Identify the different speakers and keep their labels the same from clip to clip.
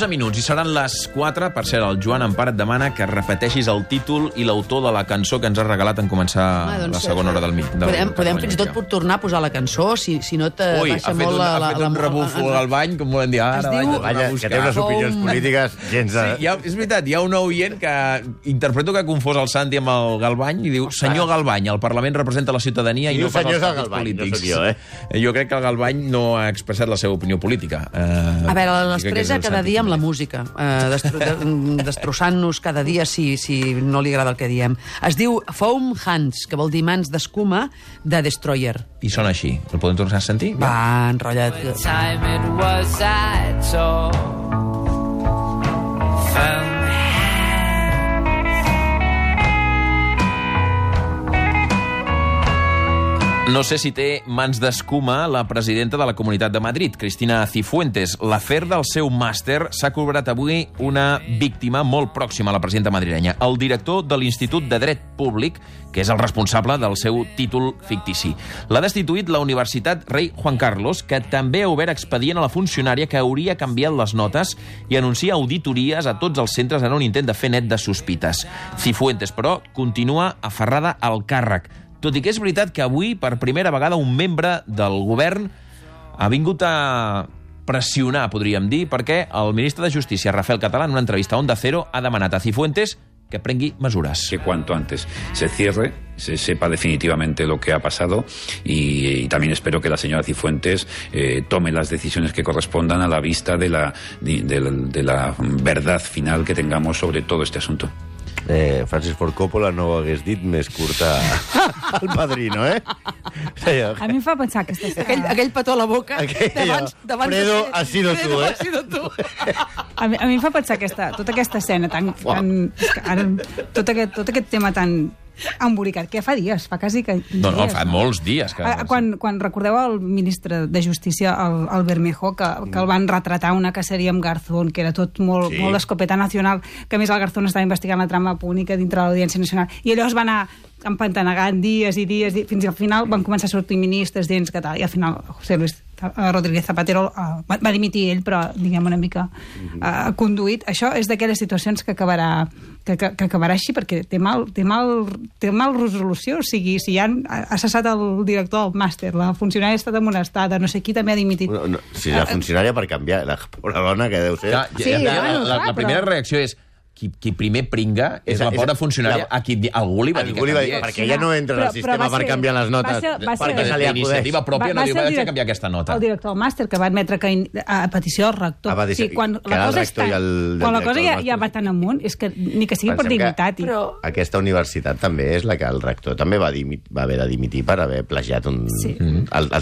Speaker 1: 11 minuts, i seran les 4. Per cert, el Joan Empar et demana que repeteixis el títol i l'autor de la cançó que ens has regalat en començar la segona hora del mig.
Speaker 2: Podem fins i tot tornar a posar la cançó, si no te baixa molt la...
Speaker 1: Ha fet un rebufo al bany, com volem dir, ara
Speaker 3: que té unes opinions polítiques gens...
Speaker 1: Sí, és veritat, hi ha un oient que interpreto que ha confós el Santi amb el Galvany i diu, senyor Galvany, el Parlament representa la ciutadania i no pas els partits polítics. Jo crec que el Galvany no ha expressat la seva opinió política.
Speaker 2: A veure, l'expressa cada dia amb la música, destrossant-nos cada dia si no li agrada el que diem. Es diu Foam Hands, que vol dir mans d'escuma, de Destroyer.
Speaker 1: I sona així. El podem tornar a sentir?
Speaker 2: Va, enrotlla't.
Speaker 1: No sé si té mans d'escuma la presidenta de la Comunitat de Madrid, Cristina Cifuentes. L'afer del seu màster s'ha cobrat avui una víctima molt pròxima a la presidenta madrilenya, el director de l'Institut de Dret Públic, que és el responsable del seu títol fictici. L'ha destituït la Universitat Rei Juan Carlos, que també ha obert expedient a la funcionària que hauria canviat les notes i anuncia auditories a tots els centres en un intent de fer net de sospites. Cifuentes, però, continua aferrada al càrrec, tot i que és veritat que avui, per primera vegada, un membre del govern ha vingut a pressionar, podríem dir, perquè el ministre de Justícia, Rafael Català, en una entrevista a Onda Cero, ha demanat a Cifuentes que prengui mesures.
Speaker 4: Que cuanto antes se cierre, se sepa definitivamente lo que ha pasado y también espero que la señora Cifuentes tome las decisiones que correspondan a la vista de la verdad final que tengamos sobre todo este asunto.
Speaker 3: Francis Ford Coppola no ho hagués dit més curta al Padrino, eh?
Speaker 5: A mi em fa pensar aquesta escena...
Speaker 2: Aquell petó a la boca
Speaker 3: Fredo, ha sido tu, eh?
Speaker 5: A mi em fa pensar tota aquesta escena tot aquest tema tan embolicat, que fa dies, fa quasi que...
Speaker 1: No, fa molts dies.
Speaker 5: Quan recordeu el ministre de Justícia, el Bermejo, que el van retratar una caceria amb Garzón, que era tot molt escopeta nacional, que a més el Garzón estava investigant la trama pública dintre de l'Audiència Nacional, i allò es va anar empantanegant dies i dies, fins al final van començar a sortir ministres dins que tal, i al final José Luis Rodríguez Zapatero va dimitir ell, però diguem una mica conduït. Això és d'aquelles situacions que acabarà així, perquè té mal resolució. O sigui, si ja ha cessat el director del màster, la funcionària ha estat amonestada, no sé qui també ha dimitit.
Speaker 3: Si la funcionària per canviar, la pobra dona que deu ser...
Speaker 1: La primera reacció és qui primer pringa és la pobra funcionària a qui algú li va dir que canviés.
Speaker 3: Perquè ella no entra en el sistema per canviar les notes. Perquè se li acudeix.
Speaker 1: Iniciativa pròpia no diu que ha de canviar aquesta nota.
Speaker 5: El director del màster, que va admetre que a petició del rector. Quan la cosa ja va tan amunt, és que ni que sigui per dignitat.
Speaker 3: Aquesta universitat també és la que el rector també va haver de dimitir per haver plagiat el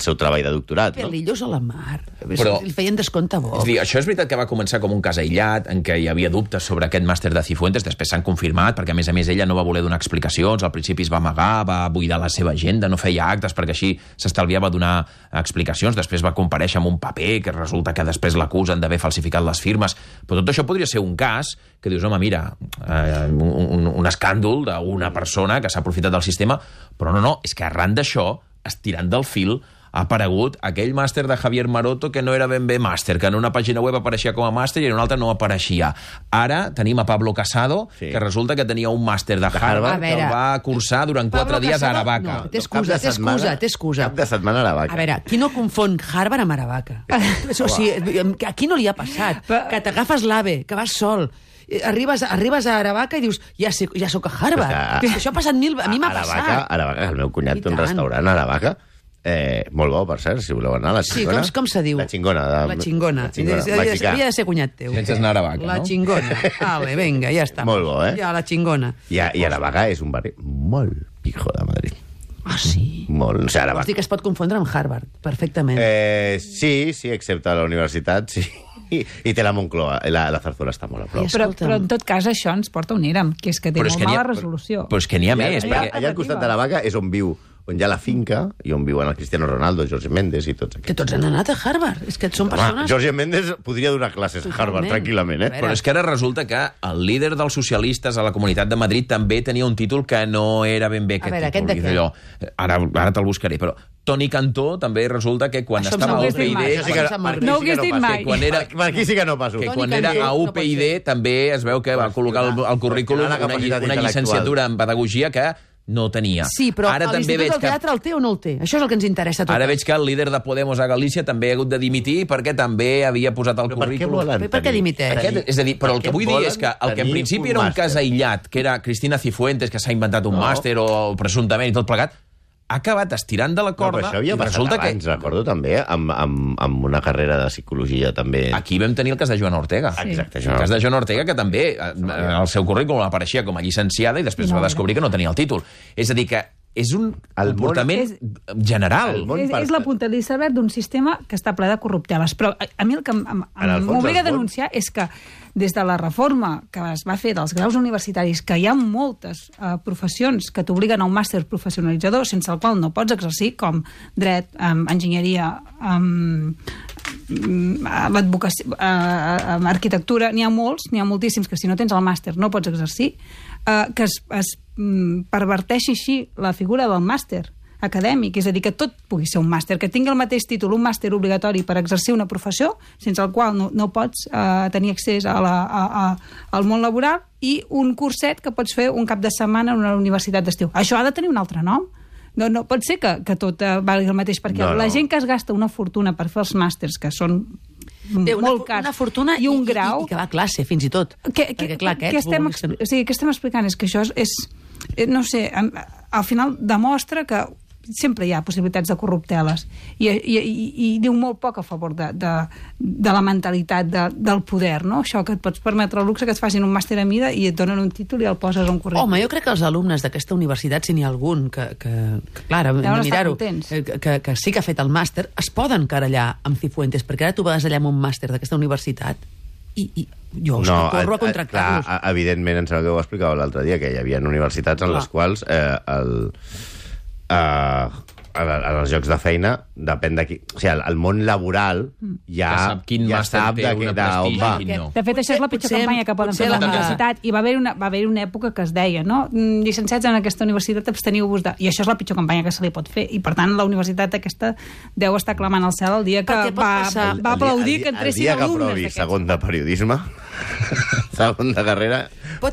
Speaker 3: seu treball de doctorat.
Speaker 2: Pelillos a la mar. Li feien descompte bo.
Speaker 1: Això és veritat que va començar com un cas aïllat, en què hi havia dubtes sobre aquest màster de Cifuentes, després s'han confirmat, perquè a més ella no va voler donar explicacions, al principi es va amagar, va buidar la seva agenda, no feia actes, perquè així s'estalviava donar explicacions, després va comparèixer amb un paper, que resulta que després l'acusen d'haver falsificat les firmes, però tot això podria ser un cas que dius, home, mira, un escàndol d'una persona que s'ha aprofitat del sistema, però no, és que arran d'això, estirant del fil, ha aparegut aquell màster de Javier Maroto que no era ben bé màster, que en una pàgina web apareixia com a màster i en una altra no apareixia. Ara tenim a Pablo Casado, que resulta que tenia un màster de Harvard que el va cursar durant 4 dies a Aravaca.
Speaker 2: No, té excusa.
Speaker 3: Cap de setmana a Aravaca.
Speaker 2: A veure, qui no confon Harvard amb Aravaca? O sigui, a qui no li ha passat? Que t'agafes l'AVE, que vas sol, arribes a Aravaca i dius, ja soc a Harvard. Això ha passat a mi m'ha passat.
Speaker 3: Aravaca, el meu cunyat té un restaurant a Aravaca, molt bo, per cert, si voleu anar a la Xingona.
Speaker 2: Sí, com se diu?
Speaker 3: La Xingona.
Speaker 2: La Xingona. Havia de ser cunyat teu.
Speaker 1: Sense anar a Aravaca, no?
Speaker 2: La Xingona. Vale, vinga, ja està.
Speaker 3: Molt bo, eh?
Speaker 2: Ja, la Xingona.
Speaker 3: I Aravaca és un barri molt pijo de Madrid.
Speaker 2: Ah, sí?
Speaker 3: Molt. O sigui, Aravaca.
Speaker 2: Vols dir que es pot confondre amb Harvard, perfectament.
Speaker 3: Sí, excepte la universitat, sí. I té la Moncloa, la Zarzuela està molt a prop.
Speaker 5: Però en tot cas això ens porta on érem, que és que té molt mala resolució.
Speaker 1: Però és que n'hi ha més.
Speaker 3: Allà al costat d'Aravaca és on viu, on hi ha la finca i on viuen el Cristiano Ronaldo, Jorge Méndez i tots aquests.
Speaker 2: Que tots han anat a Harvard. És que són persones...
Speaker 3: Jorge Méndez podria donar classes a Harvard tranquil·lament, eh?
Speaker 1: Però és que ara resulta que el líder dels socialistes a la Comunitat de Madrid també tenia un títol que no era ben bé aquest títol.
Speaker 2: A veure, aquest de què?
Speaker 1: Ara te'l buscaré, però Toni Cantó també resulta que quan
Speaker 2: Això
Speaker 1: estava a
Speaker 2: m'ho hagués dit mai,
Speaker 1: UPyD...
Speaker 2: això sí que
Speaker 5: no ho hagués dit mai.
Speaker 3: Per aquí sí que no passo.
Speaker 1: Que quan era a UPyD també es veu que va col·locar al currículum una llicenciatura en pedagogia que no tenia.
Speaker 2: Sí, però l'Institut del Teatre el té o no el té? Això és el que ens interessa tot.
Speaker 1: Ara veig que el líder de Podemos a Galícia també ha hagut de dimitir perquè també havia posat al currículum...
Speaker 2: Per què dimiteix?
Speaker 1: És a dir, però el que vull dir és que el que en principi era un cas aïllat, que era Cristina Cifuentes, que s'ha inventat un màster o presumptament i tot plegat, ha acabat estirant de la corda...
Speaker 3: No, però això havia passat abans, recordo també, amb una carrera de psicologia també...
Speaker 1: Aquí vam tenir el cas de Joana Ortega.
Speaker 3: Exacte.
Speaker 1: El cas de Joana Ortega, que també el seu currículum apareixia com a llicenciada i després va descobrir que no tenia el títol. És a dir, que és un comportament general.
Speaker 5: És la punta de l'iceberg d'un sistema que està ple de corrupteles. Però a mi el que m'obliga a denunciar és que des de la reforma que es va fer dels graus universitaris, que hi ha moltes professions que t'obliguen a un màster professionalitzador sense el qual no pots exercir, com dret, enginyeria, l'advocacia, arquitectura, n'hi ha molts, n'hi ha moltíssims que si no tens el màster no pots exercir, que es perverteixi així la figura del màster acadèmic, és a dir, que tot pugui ser un màster, que tingui el mateix títol, un màster obligatori per exercir una professió, sense el qual no pots tenir accés al món laboral, i un curset que pots fer un cap de setmana en una universitat d'estiu. Això ha de tenir un altre nom. No pot ser que tot valgui el mateix, perquè la gent que es gasta una fortuna per fer els màsters, que són molt cars,
Speaker 2: una fortuna
Speaker 5: i un grau...
Speaker 2: I que va a classe, fins i tot. Què
Speaker 5: estem explicant és que això és no sé, al final demostra que sempre hi ha possibilitats de corrupteles i diu molt poc a favor de la mentalitat del poder, no? Això que et pots permetre el luxe que et facin un màster a mida i et donen un títol i el poses a un currículum.
Speaker 2: Home, jo crec que els alumnes d'aquesta universitat, si n'hi ha algun que clar, hem de mirar-ho, que sí que ha fet el màster, es poden querellar amb Cifuentes, perquè ara tu vas allà amb un màster d'aquesta universitat i jo corro a contractar-los.
Speaker 3: Evidentment, em sembla que ho explicava l'altre dia, que hi havia universitats en les quals en els llocs de feina depèn de qui... O sigui, el món laboral ja sap
Speaker 1: quin màster té una prestigi i quin no.
Speaker 5: De fet, això és la pitjor campanya que poden fer a la universitat. I va haver una època que es deia, no? Llicenciats en aquesta universitat, absteniu-vos de... I això és la pitjor campanya que se li pot fer. I, per tant, la universitat aquesta deu estar clamant al cel el dia que va aplaudir que entressin alumnes.
Speaker 3: El dia que aprovi segon de periodisme, segon de carrera,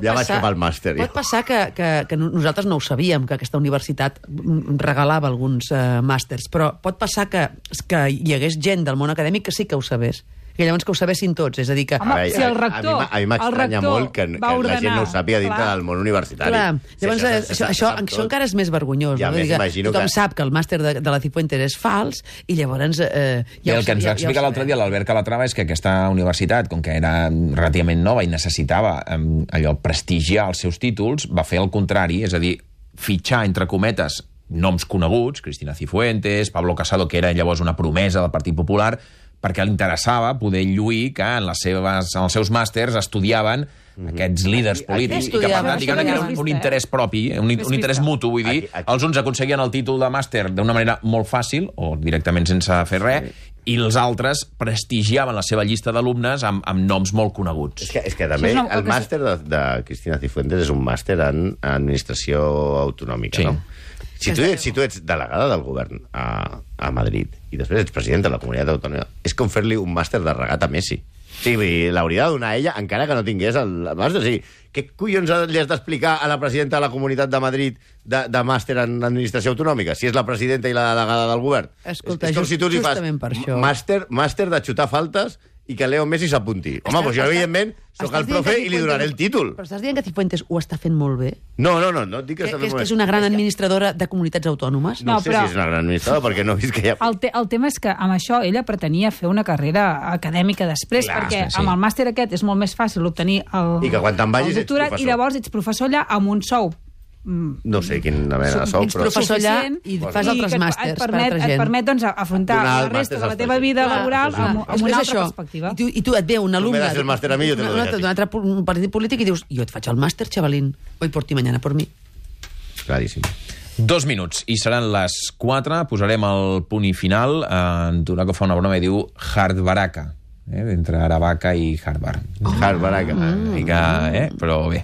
Speaker 3: ja vaig cap al màster.
Speaker 2: Pot passar que nosaltres no ho sabíem, que aquesta universitat regalava alguns màsters, però pot passar que hi hagués gent del món acadèmic que sí que ho sabés, que llavors que ho sabessin tots, és a dir que...
Speaker 5: Home, si el rector...
Speaker 3: A mi m'estranya molt que la gent no ho sàpiga dintre del món universitari.
Speaker 2: Clar, llavors això encara és més vergonyós.
Speaker 3: Ja més imagino que...
Speaker 2: Tothom sap que el màster de la Cifuentes és fals i llavors...
Speaker 1: I el que ens va explicar l'altre dia l'Albert Calatrava és que aquesta universitat, com que era relativament nova i necessitava allò prestigiar els seus títols, va fer el contrari, és a dir, fitxar, entre cometes, noms coneguts, Cristina Cifuentes, Pablo Casado, que era llavors una promesa del Partit Popular, perquè li interessava poder lluir que en els seus màsters estudiaven aquests líders polítics i que, per tant, diguem que era un interès propi, un interès mutu, vull dir, els uns aconseguien el títol de màster d'una manera molt fàcil, o directament sense fer res, i els altres prestigiaven la seva llista d'alumnes amb noms molt coneguts.
Speaker 3: És que també el màster de Cristina Cifuentes és un màster en administració autonòmica, no? Si tu ets delegada del govern a Madrid i després ets president de la comunitat autònoma, és com fer-li un màster de regat a Messi. Sí, l'hauria de donar a ella encara que no tingués el màster. O sigui, què collons li has d'explicar a la presidenta de la Comunitat de Madrid de màster en administració autonòmica, si és la presidenta i la delegada del govern?
Speaker 2: Escolta,
Speaker 3: és com si tu li fas màster de xutar faltes i que Leo Messi s'apunti. Home, doncs jo, evidentment, sóc el profe i li donaré el títol.
Speaker 2: Però estàs dient que Cifuentes ho està fent molt bé?
Speaker 3: No dic que està fent molt bé.
Speaker 2: Que és una gran administradora de comunitats autònomes?
Speaker 3: No sé si és una gran administradora, perquè no he vist que hi ha...
Speaker 5: El tema és que amb això ella pretenia fer una carrera acadèmica després, perquè amb el màster aquest és molt més fàcil obtenir el doctorat i llavors ets professor allà amb un sou.
Speaker 3: No sé quina mena de sou,
Speaker 2: però... Ets professor allà i fas altres màsters per altra gent.
Speaker 5: Et permet, doncs, afrontar la resta de la teva vida laboral amb una altra perspectiva.
Speaker 2: I tu et ve un alumne
Speaker 3: d'un
Speaker 2: altre partit polític i dius, jo et faig el màster, xavalín, hoy por ti, mañana por mi.
Speaker 3: Claríssim.
Speaker 1: 2 minuts, i seran les 4, posarem el punt i final. En Turaco fa una broma i diu Hardbaraka, entre Aravaca i Harvard.
Speaker 3: Hardbaraka.
Speaker 1: Però bé.